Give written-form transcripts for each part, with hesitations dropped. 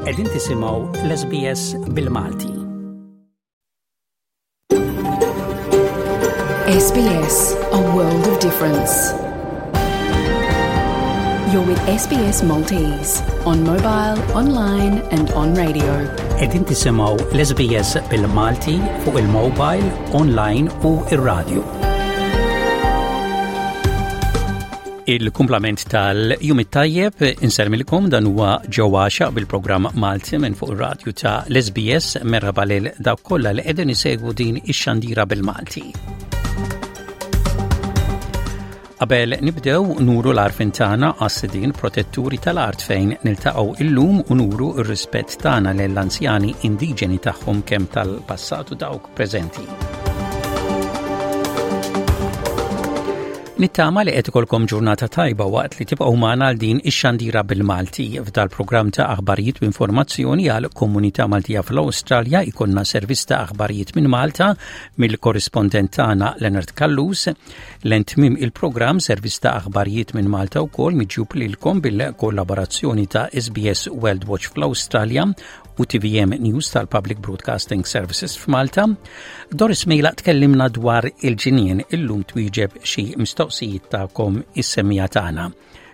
Qegħdin tisimgħu l-SBS bil-Malti. SBS, a world of difference. You're with SBS Maltese on mobile, online and on radio. Qegħdin tisimgħu l-SBS bil-Malti fuq il-mobile, online u ir-radio. Il-kumplament tal-jum it-tajjeb insermilkom dan huwa ġewwa xaq bil-programm Malti minn fuq ir-radju ta' l-SBS merħba lil dawk kollha li qegħdin isegwu din ix-xandira bil-Malti. Qabel nibdew nuru l-arfin tagħna għas-sidien protetturi tal-art fejn niltaqgħu illum u nuru r-rispett tagħna lill-anzjani indiġeni tagħhom kemm tal-passat u dawk preżenti. Nittama li qed ikolkom ġurnata tajba waqt li tibqgħu magħna għal din ix-xandira bil-Malti. F'dal-programm ta' aħbarijiet u informazzjoni għal komunità Maltija fl-Awstralja jkollna servizz ta' aħbarijiet minn Malta mill-korrispondent tagħna Leonard Callus. Lejn tmiem il-programm servizz ta' aħbarijiet minn Malta wkoll miġjub lilkom bil-kollaborazzjoni ta' SBS World Watch fl-Awstralja u TVM News tal-Public Broadcasting Services f'Malta. Doris Mejla tkellimna dwar il-ġinien illum twieġeb xi mistoqsijiet tagħkom is-semmiegħa tagħna.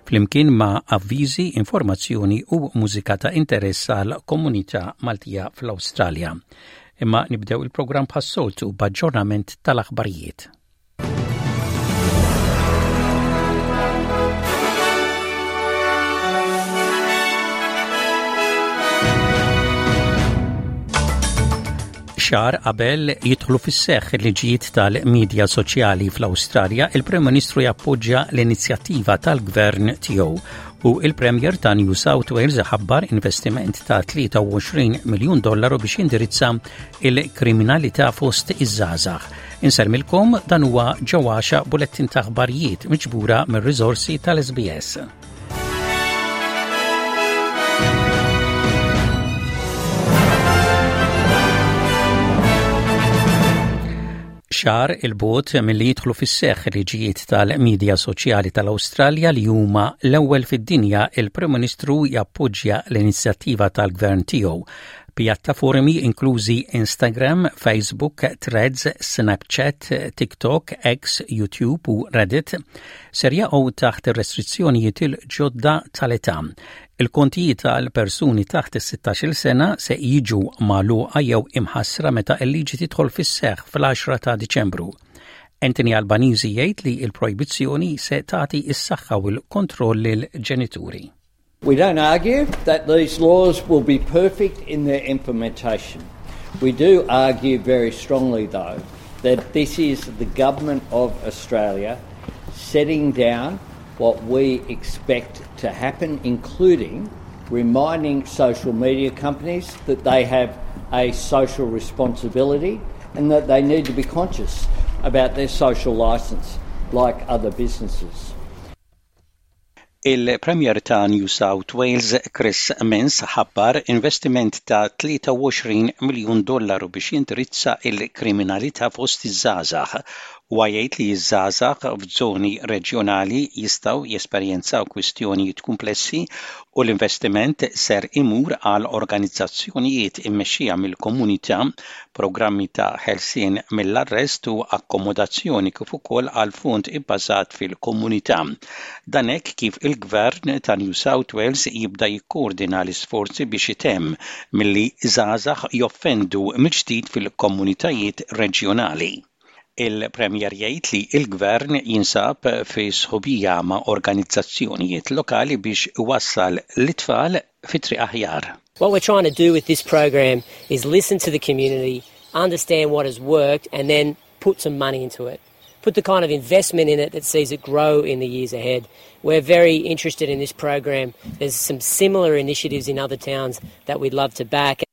Flimkien ma' avviżi, informazzjoni u mużika ta' interess għal komunità Maltija fl-Awstralja. Imma nibdew il-programm bħas-soltu b'aġġornament tal-aħbarijiet. Xahar qabel jidħlu fis-seħħ il-liġijiet tal-medja soċjali fl-Awstralja, il-Prim Ministru jappoġġja l-inizjattiva tal-gvern tiegħu u il-Premier ta' New South Wales ħabbar investiment ta' 23 miljun dollaru biex jindirizza il-kriminalità fost iż-żgħażagħ. Insellmilkom dan huwa ġewwaxa bulettin ta' aħbarijiet miġbura mir-riżorsi tal-SBS. Xahar 'il bogħod milli jidħlu fis-seħħ liġijiet tal-medja soċjali tal-Awstralja li huma l-ewwel fid-dinja, il-Prim Ministru jappoġġja l-inizjattiva tal-gvern tiegħu. Pjattaformi inklużi Instagram, Facebook, Threads, Snapchat, TikTok, X, YouTube u Reddit ser jaqgħu taħt ir-restrizzjonijiet il-ġodda tal-età. Il-kontijiet tal persuni taħt is-16-il sena se jiġu magħluqa jew imħassra meta l-liġi tidħol fis-seħħ fl-10 ta' Diċembru. Anthony Albanese jgħid li l-projbizzjoni se tagħti s-saħħa u l-kontroll lill-ġenituri. We don't argue that these laws will be perfect in their implementation. We do argue very strongly, though, that this is the Government of Australia setting down what we expect to happen, including reminding social media companies that they have a social responsibility and that they need to be conscious about their social licence like other businesses. Il-Premier ta' New South Wales Chris Minns ħabbar investiment ta' 23 miljun dollaru biex jindirizza il-kriminalità fost iż-żgħażagħ. Huwa jgħid li ż-żgħażagħ f'żoni reġjonali jistgħu jesperjenzaw kwistjonijiet kumplessi u l-investiment ser imur għal organizzazzjonijiet immexxija mill-komunità programmi ta' ħelsien mill-arrest u akkomodazzjoni kif ukoll għal fond ibbażat fil-komunità. Dan hekk kif il-Gvern ta' New South Wales jibda jikkoordina l-isforzi biex itemm milli żgħażagħ joffendu mill-ġdid fil-komunitajiet reġjonali. Il-Premier jgħid li l-Gvern jinsab fi sħubija ma' organizzazzjonijiet lokali biex iwassal l-itfal fi triq aħjar. What we're trying to do with this program is listen to the community, understand what has worked, and then put some money into it. Put the kind of investment in it that sees it grow in the years ahead. We're very interested in this program. There's some similar initiatives in other towns that we'd love to back.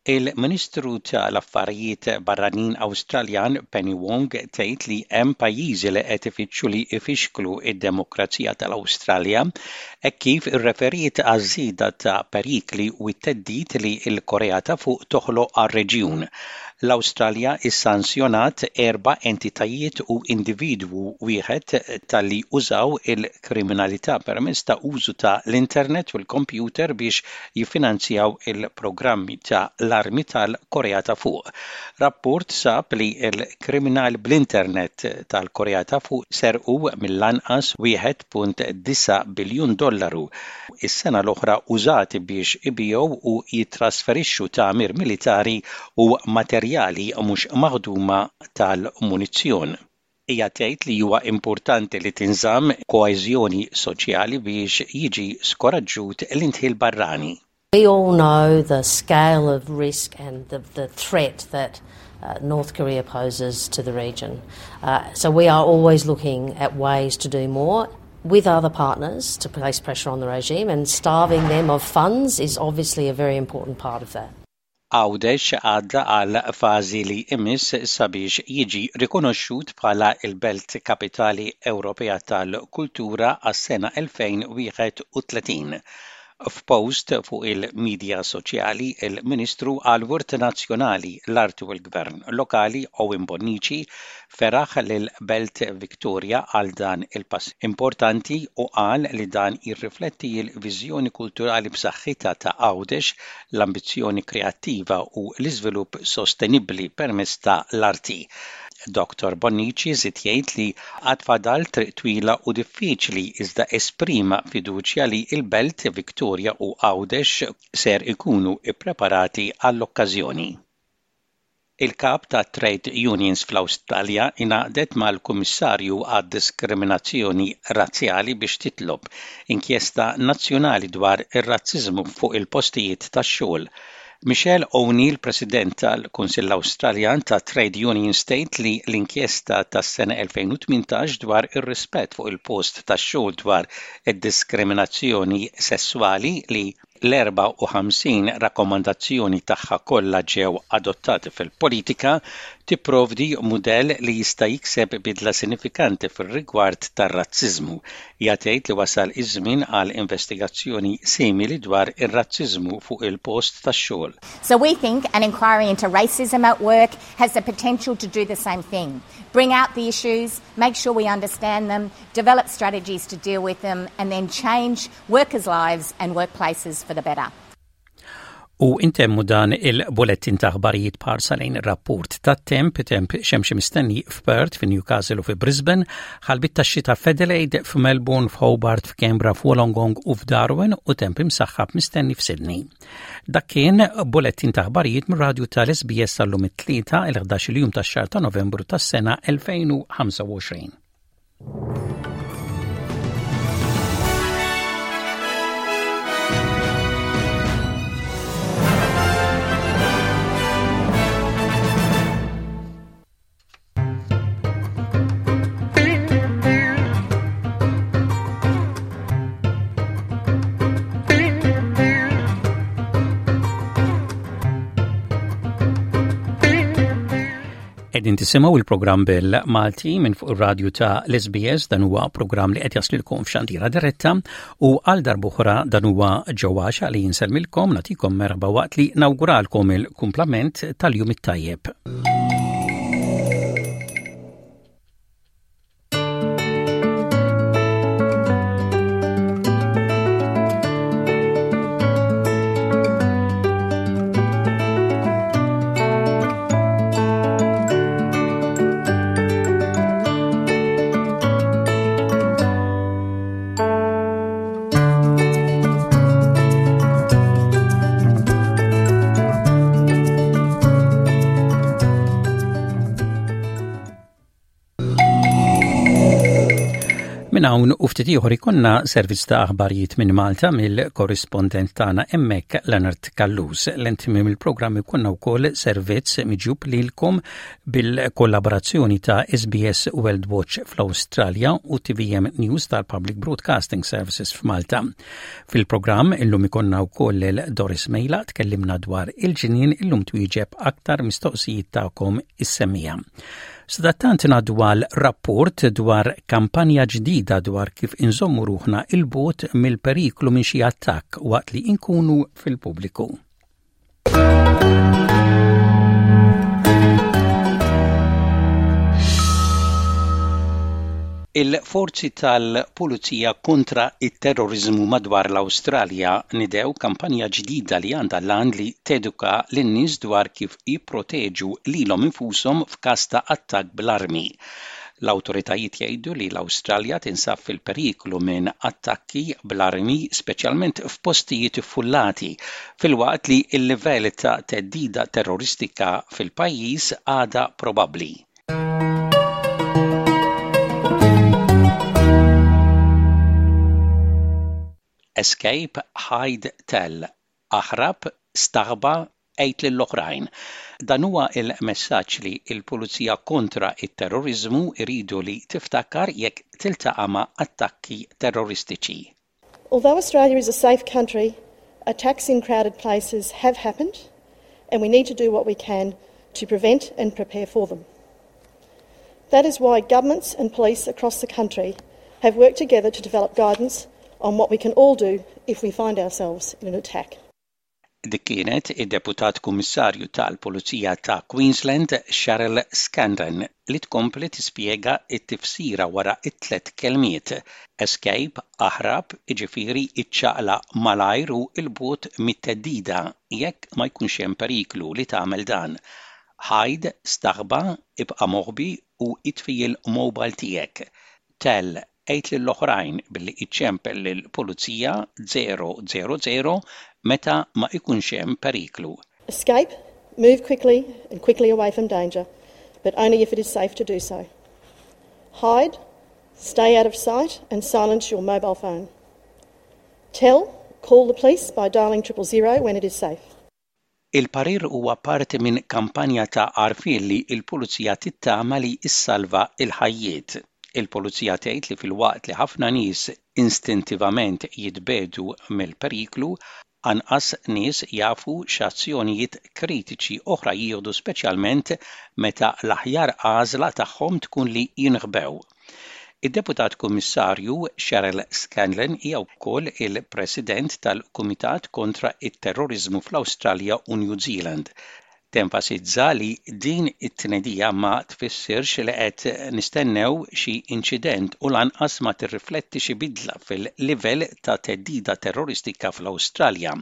Il-Ministru tal-Affarijiet Barranin Awstraljan Penny Wong tgħid li hemm pajjiżi li qed ifittxu li jfixklu id-demokrazija tal-Awstralja hekk kif irreferiet għaż-żieda ta' perikli u t-theddid li l-Korea ta' fuq toħloq għar-reġjun. L-Awstralja issanzjonat erba' entitajiet u individwu wieħed talli użaw il-kriminalità permezz ta' użu ta' l-internet u l-kompjuter biex jiffinanzjaw il-programmi ta' l-armi tal-Korea ta' Fuq. Rapport sab li l-kriminali bl-internet tal-Korea ta' Fuq serqu mill-anqas 1.9 biljun dollaru is-sena l-oħra użati biex ibigħu u jittrasferixxu tagħmir militari u materjali mhux maħduma tal-munizzjon. Hija tgħid li huwa importanti li tinżamm koeżjoni soċjali biex jiġi skoraġġut l-indħil barrani. We all know the scale of risk and the, the threat that uh, North Korea poses to the region. Uh, so we are always looking at ways to do more with other partners to place pressure on the regime, and starving them of funds is obviously a very important part of that. Għawdex għadda għal fażi li jmiss sabiex jiġi rikonoxxut bħala l-Belt Kapitali Ewropea tal-Kultura għas-sena 2031. F'post fuq il-midja soċjali, il-Ministru għall-Wirt Nazzjonali, l-Arti u l-Gvern Lokali Owen Bonnici feraħ lill-Belt Victoria għal dan il-pass importanti u qal li dan jirrifletti l-viżjoni kulturali b'saħħitha ta' Għawdex, l-ambizzjoni kreattiva u l-iżvilupp sostenibbli permezz ta' l-arti. Dottor Bonnici żied jgħid li għad fadal triq twila u diffiċli iżda esprima fiduċja li l-Belt Victoria u Għawdex ser ikunu ppreparati għall-okkażjoni. Il-kap tat-trade unions fl-Awstralja ingħaqdet mal-Kummissarju għad-Diskriminazzjoni Razzjali biex titlob inkjesta nazzjonali dwar ir-razziżmu fuq il-postijiet tax-xogħol. Michelle O'Neill, President tal-Kunsill Awstraljan tat-Trade Unions tgħid li l-inkjesta tas-sena 2018 dwar ir-rispett fuq il-post tax-xogħol dwar id-diskriminazzjoni sesswali li l-54 rakkomandazzjoni tagħha kollha ġew adottati fil-politika, tipprovdi mudell li jista' jikseb bidla sinifikanti fir-rigward tar-razziżmu. Hija tgħid li wasal iż-żmien għal investigazzjoni simili dwar ir-razziżmu fuq il-post tax-xogħol. So we think an inquiry into racism at work has the potential to do the same thing. Bring out the issues, make sure we understand them, develop strategies to deal with them and then change workers' lives and workplaces for the better. U intemmu dan il-bulettin ta' aħbarijiet b'ħarsa lejn rapport ta' temp, temp xemxi mistenni f'Perth, fi Newcastle u fi Brisbane, ħalbit ta' xita f'Adelaide, f'Melbourne, f'Hobart, f'Canberra, f'Wollongong u f'Darwin u temp imsaħħab mistenni f'Sydney. Dak kien bulettin ta' aħbarijiet mir-radju tal-SBS tal-lum it-tlieta il-11 il-jum tax-xahar ta' Novembru tas-sena 2025. Qegħdin tisimgħu il-programm bil-Malti minn fuq ir-radju ta' l-SBS dan huwa programm li qed jaslilkom f'xandira diretta u għal darb'oħra dan huwa ġewwaxa li jinselmilkom nagħtikom merħba waqt li nawguralkom il-kumplament tal-jum it-tajjeb. Minn hawn u ftit ieħor ikonna servizz ta' aħbarijiet minn Malta mill-korrispondent tagħna hemmhekk Leonard Callus. L-intimim il-programm ikonna wkoll servizz miġjub lilkom bil-kollaborazzjoni ta' SBS World Watch fl-Awstralja u TVM News tal-Public Broadcasting Services f'Malta. Fil-programm illum ikonna wkoll lil Doris Mejla tkellimna dwar il-ġnien illum twieġeb aktar mistoqsijiet tagħkom is-semmiegħa. Sadattant ngħaddu għal rapport dwar kampanja ġdida dwar kif inżommu ruħna 'il bogħod mill-periklu minn xi attakk waqt li nkunu fil-pubbliku. Il-forzi tal-Pulizija kontra t-terroriżmu madwar l-Awstralja niedew kampanja ġdida li għandha l-għan li teduka lin-nies dwar kif jipproteġu lilhom infushom f'każ ta' attakk bl-armi. L-awtoritajiet jgħidu li l-Awstralja tinsab fil-periklu minn attakki bl-armi speċjalment f'postijiet iffullati, filwaqt li l-livell ta' theddida terroristika fil-pajjiż għadha probabbli. Escape, Hide, Tell, Aħrab, Staħba, Għid lill-oħrajn. Dan huwa l-messaġġ li l-Pulizija kontra t-terroriżmu jridu li tiftakar jekk tiltaqa' ma' attakki terroristiċi. Although Australia is a safe country, attacks in crowded places have happened and we need to do what we can to prevent and prepare for them. That is why governments and police across the country have worked together to develop guidance on what we can all do if we find ourselves in an attack. Dik kienet id-Deputat Kummissarju tal-Pulizija ta' Queensland Cheryl Scanlon li tkompli tispjega t-tifsira wara t-tlett kelmiet, escape, aħrab, jiġifieri iċċaqlaq malajr u 'l bogħod mit-theddida jekk ma jkunx hemm periklu li tagħmel dan. Hide, staħba, ibqa' moħbi u itfi l-mobile tiegħek. Tell, Għid lill-oħrajn billi iċċempel lill-pulizija 000 meta ma ikunx hemm periklu. Escape, Move quickly and quickly away from danger, but only if it is safe to do so. Hide, Stay out of sight and silence your mobile phone. Tell, Call the police by dialing 000 when it is safe. Il-parir huwa parti minn kampanja ta' għarfien li l-Pulizija tittama li ssalva l-ħajjiet. Il-Pulizija tgħid li filwaqt li ħafna nies instintivament jitbiegħdu mill-periklu, anqas nies jafu x'azzjonijiet kritiċi oħra jieħdu speċjalment meta l-aħjar għażla tagħhom tkun li jinħbew. Id-Deputat Kummissarju Cheryl Scanlon hija wkoll il-President tal-Kumitat kontra t-Terroriżmu fl-Awstralja u New Zealand. Tenfasizza li din it-tnedija ma tfissirx li qed nistennew xi inċident u lanqas ma tirrifletti xi bidla fil-livell ta' theddida terroristika fl-Awstralja.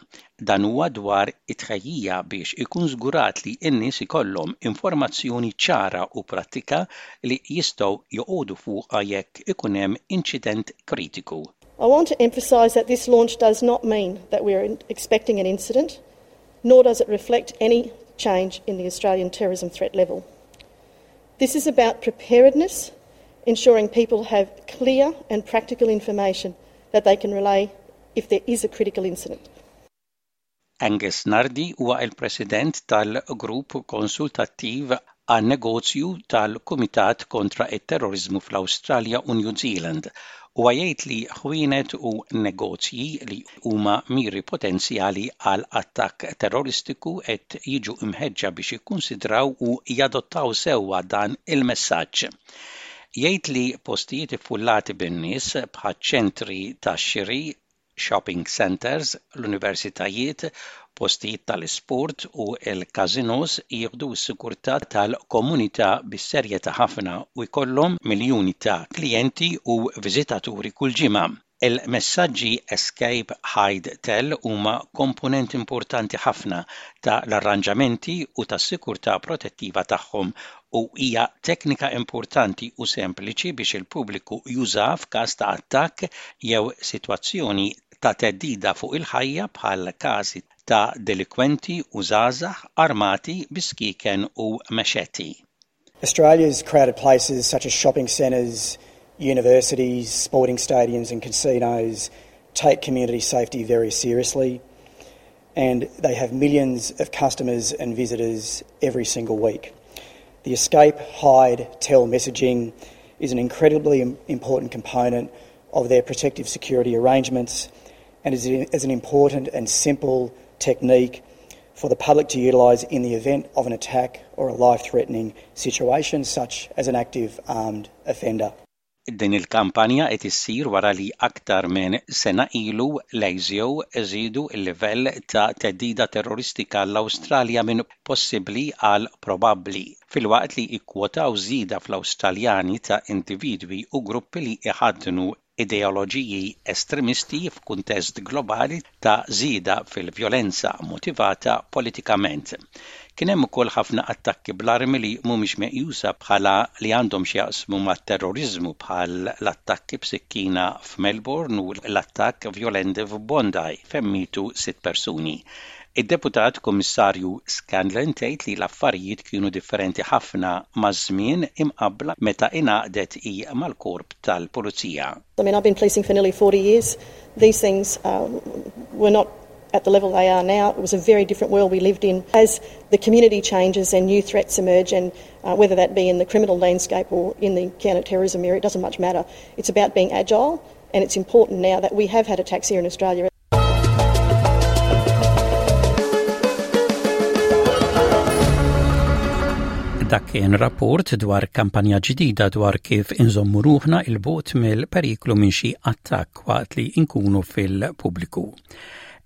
Dan huwa dwar it-tħejjija biex ikun żgurat li n-nies ikollhom informazzjoni ċara u prattika li jistgħu joqogħdu fuqha jekk ikun hemm inċident kritiku. I want to emphasise that this launch does not mean that we are expecting an incident, nor does it reflect any change in the Australian terrorism threat level. This is about preparedness, ensuring people have clear and practical information that they can relay if there is a critical incident. Angus Nardi huwa l-President tal-Grupp Konsultattiv għan-Negozju tal-Kumitat Kontra t-Terroriżmu fl-Awstralja u New Zealand. Huwa jgħid li ħwienet u negozji li huma miri potenzjali għal attakk terroristiku qed jiġu mħeġġa biex jikkunsidraw u jadottaw sewwa dan il-messaġġ. Jgħid li postijiet iffullati bin-nies bħaċ-ċentri tax-xiri, shopping centres, l-universitajiet, postijiet tal-isport u l-każinos jieħdu s-sigurtà tal-komunità bis-serjetà ħafna u jkollhom miljuni ta' klijenti u viżitaturi kull ġimgħa. Il-messaġġi Escape, Hide, Tell huma komponent importanti ħafna ta' l-arranġamenti u tas-sikurtà protettiva tagħhom u hija teknika importanti u sempliċi biex il-pubbliku jużaha f'każ ta' attakk jew sitwazzjoni ta' theddida fuq il-ħajja bħal każi ta' delikwenti u żgħażagħ armati bi skieken u mexeti. Australia's crowded places such as shopping centres, universities, sporting stadiums and casinos take community safety very seriously and they have millions of customers and visitors every single week. The escape, hide, tell messaging is an incredibly important component of their protective security arrangements and is, is an important and simple technique for the public to utilise in the event of an attack or a life-threatening situation such as an active armed offender. Din il-kampanja qed issir wara li aktar minn sena ilu l-ASIO żiedu l-livell ta' theddida terroristika għall-Awstralja minn possibbli għal probabbli, filwaqt li kkwotaw żieda fl-Awstraljani ta' individwi u gruppi li jħaddnu ideoloġiji estremisti f'kuntest globali ta' żieda fil-vjolenza motivata politikament. Kien hemm ukoll ħafna attakki bl-armi li mhumiex meqjusa bħala li għandhom x'jaqsmu mat-terroriżmu bħal l-attakki b'sikkina f'Melbourne u l-attakk vjolenti f'Bondi fejn mietu sitt persuni. Id-Deputat Kummissarju Scanlon tgħid li l-affarijiet kienu differenti ħafna maż-żmien imqabbla meta ingħaqdet hi mal-Korp tal-Pulizija. I mean, I've been policing for nearly 40 years. These things uh, were not at the level they are now. It was a very different world we lived in. As the community changes and new threats emerge, and uh, whether that be in the criminal landscape or in the counter-terrorism area, it doesn't much matter. It's about being agile, and it's important now that we have had attacks here in Australia. Dak kien rapport dwar kampanja ġdida dwar kif inżommu ruħna il-bot mill-periklu minn xi attakk waqt li nkunu fil-pubbliku.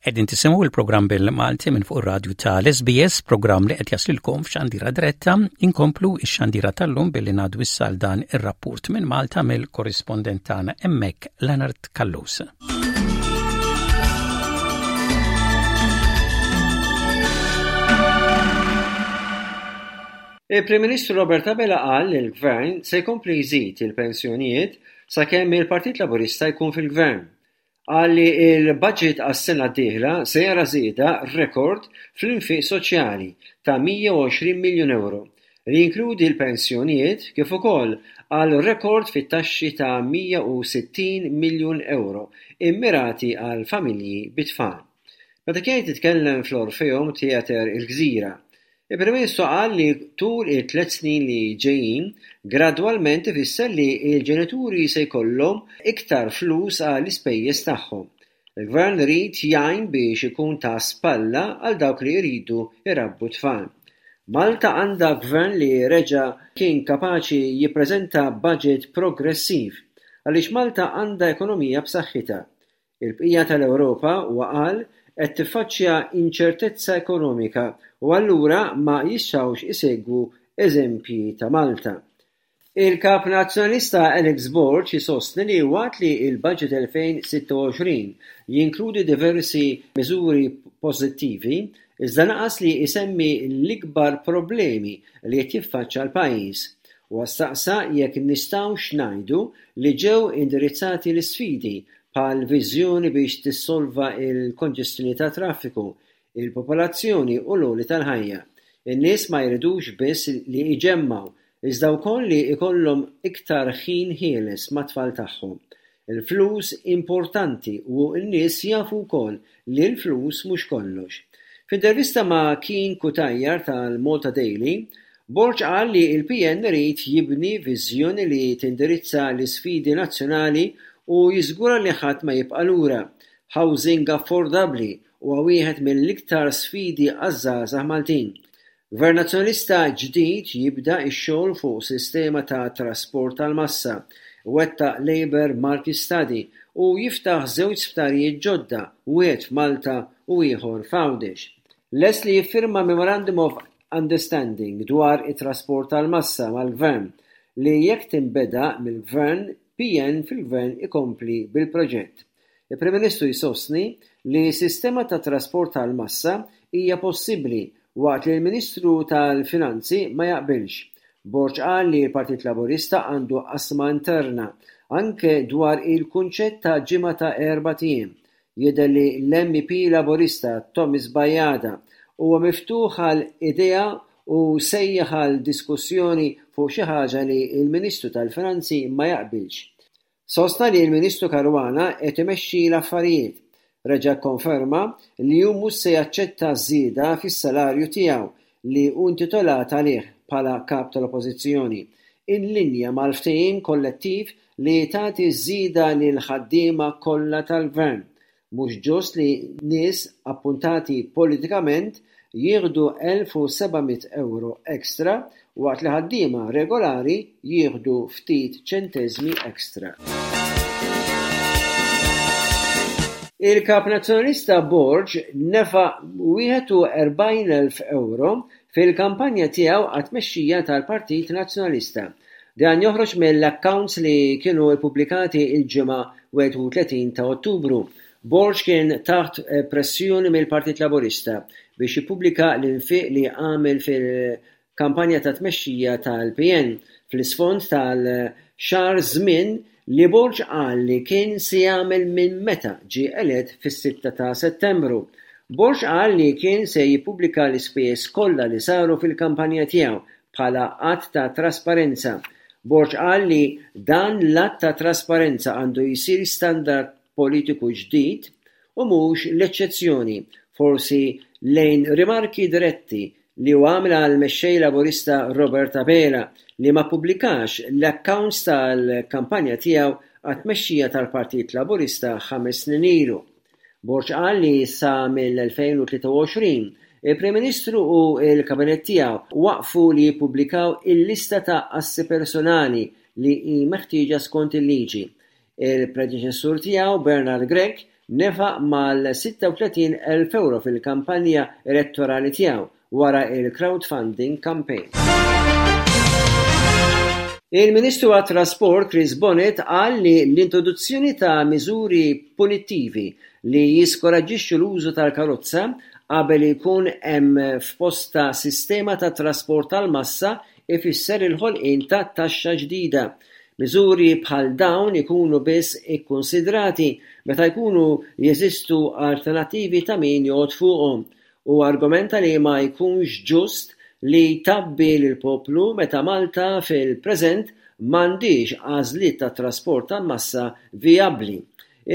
Qegħdin tisimgħu il-programm bil-Malti minn fuq ir-radju tal-SBS, programm li qed jaslilkom f'xandira diretta. Inkomplu x-xandira tal-lum billi ngħaddu issa għal dan ir-rapport minn Malta mill-korrispondent tagħna hemmhekk Leonard Callus. Il-Prim Ministru Robert Abela qal li l-Gvern se jkompli jżid il-pensjonijiet sakemm il-Partit Laburista jkun fil-Gvern. Qal li l-budget għas-sena d-dieħla se jara żieda rekord fl-infiq soċjali ta' 120 miljun ewro, li jinkludi l-pensjonijiet kif ukoll għal rekord fit-taxxi ta' 160 miljun ewro immirati għal familji bit-tfal. Meta kien qed jitkellem fl-Orpheum Theatre il-Gżira, il-Prim Ministru qal li tul it-tlett snin li ġejjin gradwalment ifisser li l-ġenituri se jkollhom iktar flus għall-ispejjeż tagħhom. Il-Gvern irid jgħin biex ikun ta' spalla għal dawk li jridu jrabbu t-tfal. Malta għandha Gvern li reġa' kien kapaċi jippreżenta budget progressiv għaliex Malta għandha ekonomija b'saħħitha. Il-bqija tal-Ewropa, huwa qal, qed tiffaċċja inċertezza ekonomika u allura ma jistgħux isegwu eżempji ta' Malta. Il-Kap Nazzjonalista Alex Borg isostni li waqt li l-Budget 2026 jinkludi diversi miżuri pożittivi, iżda naqas li jsemmi l-ikbar problemi li qed jiffaċċja l-pajjiż. Huwa staqsa jekk nistgħux ngħidu li ġew indirizzati l-isfidi bħal viżjoni biex tissolva l-konġestjoni tat-traffiku, il-popolazzjoni u l-għoli tal-ħajja. In-nies ma jridux biss li jġemmgħu, iżda wkoll li jkollhom iktar ħin ħieles mat-tfal tagħhom. Il-flus importanti u n-nies jafu wkoll li l-flus mhux kollox. F'intervista ma' Keen Cutajar tal-Malta Daily, Borg qal li l-PN irid jibni viżjoni li tindirizza l-isfidi nazzjonali u jiżgura li ħadd ma jibqa' lura. Housing affordabbli huwa wieħed mill-iktar sfidi għaż-żgħażagħ Maltin. Gvern Nazzjonalista ġdid jibda x-xogħol fuq sistema ta' trasport tal-massa, iwettaq labour market study u jiftaħ żewġ sptarijiet ġodda, wieħed f'Malta u ieħor f'Għawdex. Lest li jiffirma Memorandum of Understanding dwar it-trasport tal-massa mal-Gvern li jekk tinbeda mill-Gvern PN fil-Gvern ikompli bil-proġett. Il-Prim Ministru jsostni li sistema ta' trasport tal-massa hija possibbli waqt li l-Ministru tal-Finanzi ma jaqbilx. Borg qal li l-Partit Laburista għandu qasma interna anke dwar il-kunċett ta' ġimgħa ta' erbat ijiem. Jidher li l-MEP Laburista Thomas Bajada huwa miftuħ għal idea u sejjaħ għal diskussjoni fuq xi ħaġa li l-Ministru tal-Finanzi ma jaqbilx. Sostna li l-Ministru Caruana qed imexxi l-affarijiet. Reġa' kkonferma li hu mhux se jaċċetta żieda fis-salarju tiegħu li hu intitolat għalih bħala Kap tal-Oppożizzjoni, in linja mal-ftehim kollettiv li tagħti żieda lill-ħaddiema kollha tal-Gvern. Mhux ġust li nies appuntati politikament jieħdu 1,700 ewro extra waqt li ħaddiema regolari jieħdu ftit ċenteżmi extra. Il-Kap Nazzjonalista Borg nefaq 41,000 ewro fil-kampanja tiegħu għat-tmexxija tal-Partit Nazzjonalista. Dan joħroġ mill-accounts li kienu ppubblikati l-Ġimgħa 31 ta' Ottubru. Borg kien taħt pressjoni mill-Partit Laburista biex jippubblika l-infiq li għamel fil-kampanja ta' tmexxija tal-PN fl-isfond tal-xahar żmien li Borg qal li kien se jagħmel minn meta ġie elett fis-sitta ta' Settembru. Borg qal li kien se jippubblika l-ispejjeż kollha li saru fil-kampanja tiegħu bħala att ta' trasparenza. Borg qal li dan l-att ta' trasparenza għandu jsir standard politiku ġdid u mhux l-eċċezzjoni, forsi lejn rimarki diretti li hu għamel għall-Mexxej Laburista Robert Abela li ma ppubblikax l-accounts tal-kampanja tiegħu għat-tmexxija tal-Partit Laburista ħames snin ilu. Borg qal li sa mill-2023, il-Prim Ministru u l-Kabinett tiegħu waqfu li jippubblikaw il-lista ta' assi personali li hi meħtieġa skont il-liġi. Il-predeċessur tiegħu, Bernard Grech, nefaq mal-36,000 ewro fil-kampanja elettorali tiegħu wara l-crowdfunding campaign. Il-Ministru għat-Trasport Chris Bonett qal li l-introduzzjoni ta' miżuri punittivi li jiskoraġġixxu l-użu tal-karozza qabel ikun hemm f'postha sistema ta' trasport tal-massa ifisser il-ħolqien ta' taxxa ġdida. Miżuri bħal dawn ikunu biss ikkunsidrati meta jkunu jeżistu alternattivi ta' min joqgħod fuqhom Hu argumenta li ma jkunx ġust li tgħabbi lill-poplu meta Malta fil-preżent m'għandhiex għażliet ta' trasport tal-massa vijabbli.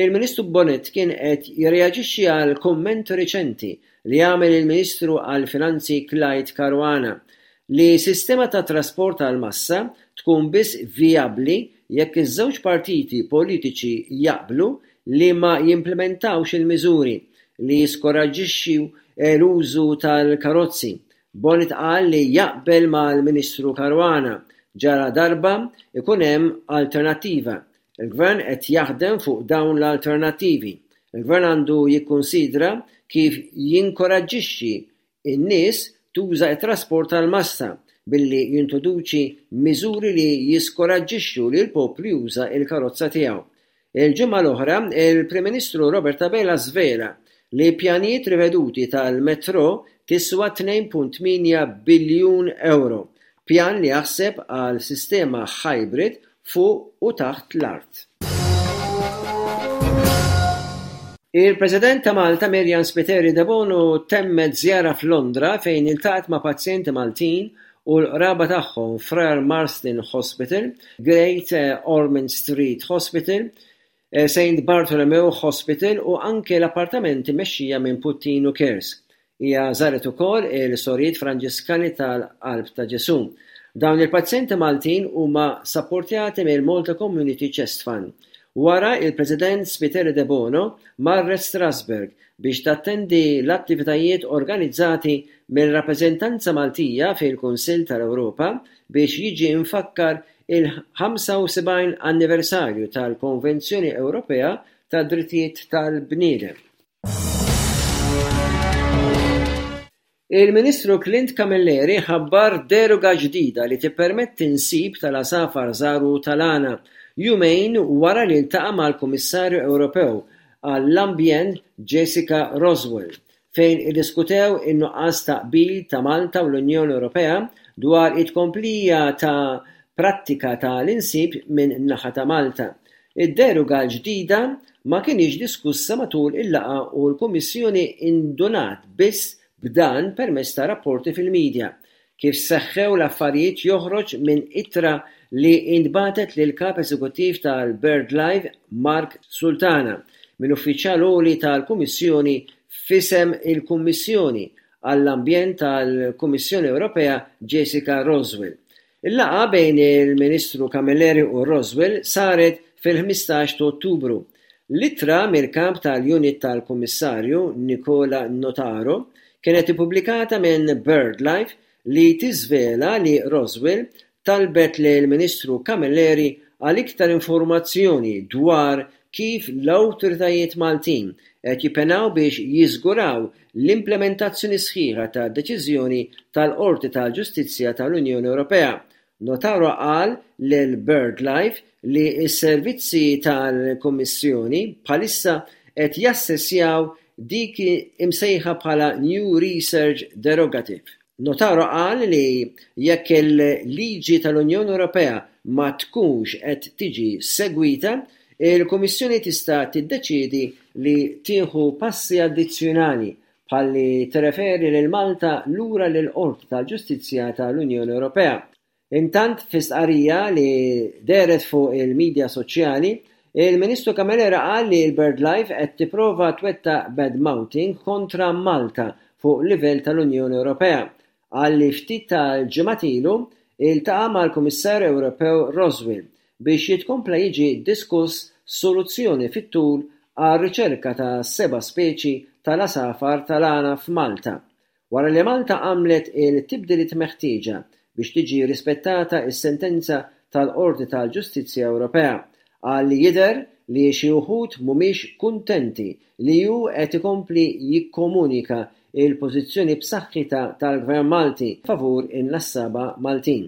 Il-Ministru Bonett kien qed jirreaġixxi għal kumment riċenti li għamel il-Ministru għall-Finanzi Clyde Caruana li sistema ta' trasport tal-massa tkun biss vijabbli jekk iż-żewġ partiti politiċi jaqblu li ma jimplimentawx il-miżuri li jiskoraġġixxu l-użu tal-karozzi. Bonett qal li jaqbel mal-Ministru Caruana ġaladarba jkun hemm alternattiva. Il-Gvern qed jaħdem fuq dawn l-alternattivi. Il-Gvern għandu jikkunsidra kif jinkoraġġixxi n-nies tuża t-trasport tal-massa billi jintroduċi miżuri li jiskoraġġixxu li l-poplu juża l-karozza tiegħu. Il-ġimgħa l-oħra, il-Prim Ministru Robert Abela żvela li pjanijiet riveduti tal-Metro tiswa 2.8 biljun ewro, pjan li jaħseb għal sistema hybrid fuq u taħt l-art. Il-President ta' Malta Myriam Spiteri Debono temmet żjara f'Londra fejn iltaqgħet ma' pazjenti Maltin u l-qraba tagħhom f'Royal Marsden Hospital, Great Ormond Street Hospital, Saint Bartholomew Hospital u anke l-appartamenti mmexxija minn Puttinu Cares. Hija żaret ukoll il-Sorijiet Franġiskani tal-Qalb ta' Ġesù. Dawn il-pazjenti Maltin huma sapportjati mill-Malta Community Chest Fund. Wara, il-President Spiteri Debono marret Strasbourg biex tattendi l-attivitajiet organizzati mir-rappreżentanza Maltija fil-Kunsill tal-Ewropa biex jiġi mfakkar il-75 anniversarju tal-Konvenzjoni Ewropea tad-Drittijiet tal-Bniedem. Il-Ministru Clint Camilleri ħabbar deroga ġdida li tippermetti nsib tal-għasafar żgħar u tal-għana, jumejn wara li ltaqa' mal-Kummissarju Ewropew għall-Ambjent Jessica Roswell fejn iddiskutew in-nuqqas ta' qbil ta' Malta u l-Unjoni Ewropea dwar it-tkomplija ta' prattika ta' l-insib minn naħa ta' Malta. Id-deroga l-ġdida ma kinitx diskussa matul il-laqgħa u l-Kummissjoni indunat biss b'dan permezz ta' rapporti fil-media. Kif seħħew l-affarijiet joħroġ minn ittra li intbagħtet lill-Kap Eżekuttiv tal-BirdLife Mark Sultana minn uffiċjal għoli tal-Kummissjoni f'isem il-Kummissjoni għall-Ambjent tal-Kummissjoni Ewropea Jessica Roswell. Il-laqgħa bejn il-Ministru Camilleri u Roswell saret fil-15 ta' Ottubru. L-ittra mill-Kap tal-Unit tal-Kummissarju Nicola Notaro kienet ippubblikata minn BirdLife li tiżvela li Roswell talbet lill-Ministru Camilleri għal iktar informazzjoni dwar kif l-awtoritajiet Maltin qed jippenaw biex jiżguraw l-implementazzjoni sħiħa tad-deċiżjoni tal-Qorti tal-Ġustizzja tal-Unjoni Ewropea Notaro qal lil BirdLife li s-servizzi tal-Kummissjoni bħalissa qed jassessjaw dik imsejħa bħala New Research Derogative. Notaro qal li jekk il-liġi tal-Unjoni Ewropea ma tkunx qed tiġi segwita, il-Kummissjoni tista' tiddeċiedi li tieħu passi addizzjonali bħal li tirreferi lil Malta lura lill-Qorti tal-Ġustizzja tal-Unjoni Ewropea. Intant fi stqarrija li dehret fuq il-midja soċjali, il-Ministru Camilleri qal li l-BirdLife qed tipprova twettaq bad-mouthing kontra Malta fuq livell tal-Unjoni Ewropea. Qal li ftit tal-ġimgħat ilu iltaqa' mal-Kummissarju Ewropew Roswell biex jitkompla jiġi diskuss soluzzjoni fit-tul għar-riċerka ta' seba' speċi tal-għasafar tal-għana f'Malta, wara li Malta għamlet il-tibdiliet meħtieġa biex tiġi rispettata s-sentenza tal-Qorti tal-Ġustizzja Ewropea. Qal li jidher li xi wħud mhumiex kuntenti li hu qed ikompli jikkomunika l-pożizzjoni b'saħħitha tal-Gvern Malti favur in-nassaba Maltin.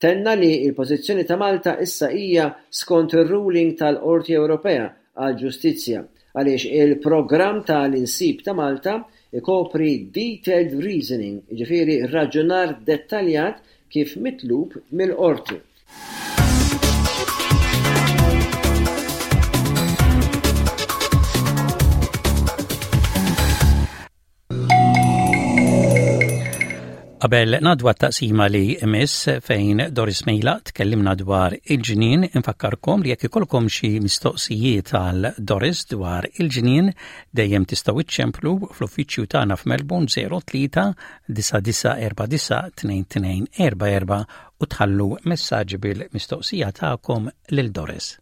Tenna li l-pożizzjoni ta' Malta issa hija skont ir-ruling tal-Qorti Ewropea għall-Ġustizzja għaliex il-programm ta' l-insib ta' Malta jkopri detailed reasoning, jiġifieri raġunar dettaljat kif mitlub mill-Qorti. Qabel ngħaddu għat-taqsima li jmiss fejn Doris Mejla tkellimna dwar il-ġnien, infakkarkom li jekk ikollkom xi mistoqsijiet għal Doris dwar il-ġnien, dejjem tistgħu iċċemplu fl-uffiċċju tagħna f'Melbourne 03 9949 2244 u tħallu messaġġ bil-mistoqsija tagħkom lil Doris.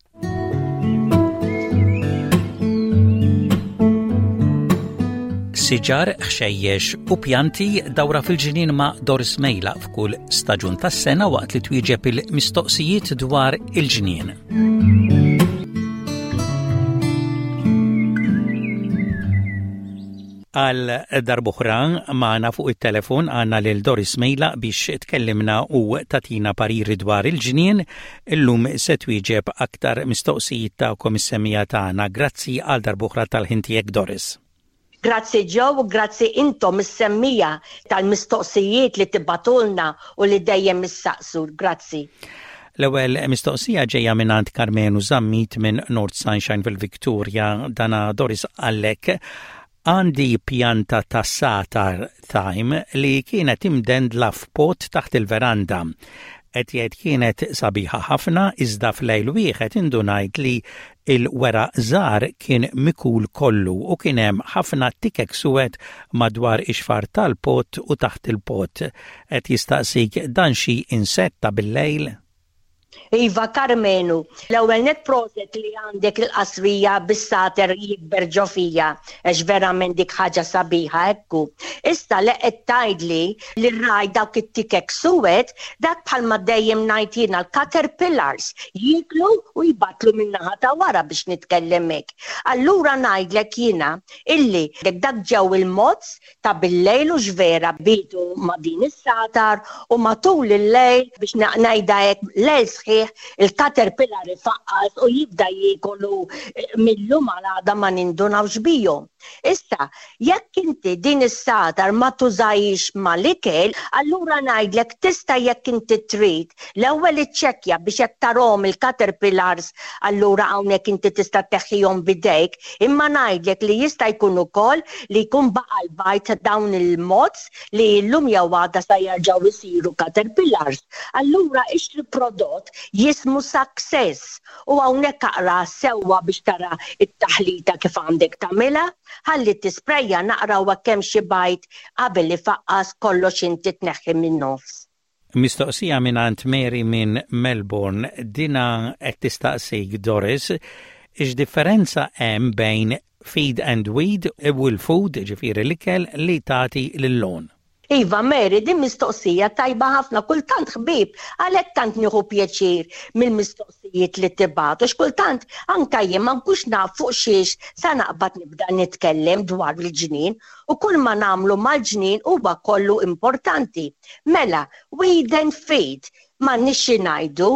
Siġar, ħxejjex u pjanti dawra fil-ġnien ma' Doris Mejla f'kull staġun tas-sena waqt li twieġeb il-mistoqsijiet dwar il-ġnien. Għal darb'oħra magħna fuq it-telefon għandna lil Doris Mejla biex tkellimna u tagħtina pariri dwar il-ġnien. Illum se twieġeb aktar mistoqsijiet tagħkom is-semmiegħa tagħna. Grazzi għal darb'oħra tal-ħin tiegħek Doris. Grazzi Joe u grazzi intom is-semmiegħa tal-mistoqsijiet li tibagħtulna u li dejjem issaqsu. Grazzi. L-ewwel mistoqsija ġejja mingħand Karmenu Zammit minn North Sunshine fil-Victoria. Dana Doris qallek Għandi pjanta ta' satar thyme li kienet imdendla f'pot taħt il-veranda. Qed jgħid kienet sabiħa ħafna iżda f'lejl wieħed indunajt li l-weraq żgħar kien mikul kollu u kien hemm ħafna tikek suwed madwar ix-xfar tal-pot u taħt il-pot. Qed jistaqsik dan xi insett ta' bil-lejl? Iva Karmenu, l-ewwel nett proset li għandek il-qasrija bis-sater jikber ġo fija għax verament dik ħaġa sabiħa ekku. Issa li qed tgħidli li rajt dawk it-tikek suwed, dak bħalma dejjem ngħid jiena l-caterpillars jieklu u jbattlu min-naħa ta' wara biex nitkellem hekk. Allura ngħidlek jiena illi dak ġew il-moths ta' billejl hux vera bietu ma' din is-sagħtar u matul il-lejl, biex ngħidha hekk, lejl sħiħ il-caterpillar ifaqqas u jibda jiekol u mil-lum għal għada ma nindunawx bihom. Issa, jekk inti din is-sagħtar ma tużahiex mal-ikel, allura ngħidlek tista' jekk inti trid l-ewwel iċċekkja biex jekk tarahom il-caterpillars allura hawnhekk inti tista' tneħħihom b'idejk, Imma ngħidlek li jista' jkun ukoll li jkun baqa' l-bajd ta' dawn il-moths li illum jew għada sa jerġgħu jsiru caterpillars. Allura ixtri prodott jismu Success u hawnhekk aqra sewwa biex tara t-taħlita kif għandek tagħmilha. Ħalli tisprejja naqra u hekk hemm xi bajd qabel ifaqqas kollox inti tneħħi min-nofs. Mistoqsija mingħand Mary minn Melbourne, dinha qed tistaqsik Doris, X'differenza hemm bejn feed and weed u l-food, ġifieri l-ikel li tagħti lil-lawn? Iva Mary, din mistoqsija tajba ħafna, kultant ħbieb, għalhekk tant nieħu pjaċir mill-mistoqsijiet li tibgħatu, għax kultant anke jien ma nkunx naf fuq xiex sa naqbad nibda nitkellem dwar il-ġnien u kull ma nagħmlu mal-ġnien huwa kollu importanti. Mela, weed and feed, m'għandniex xi ngħidu,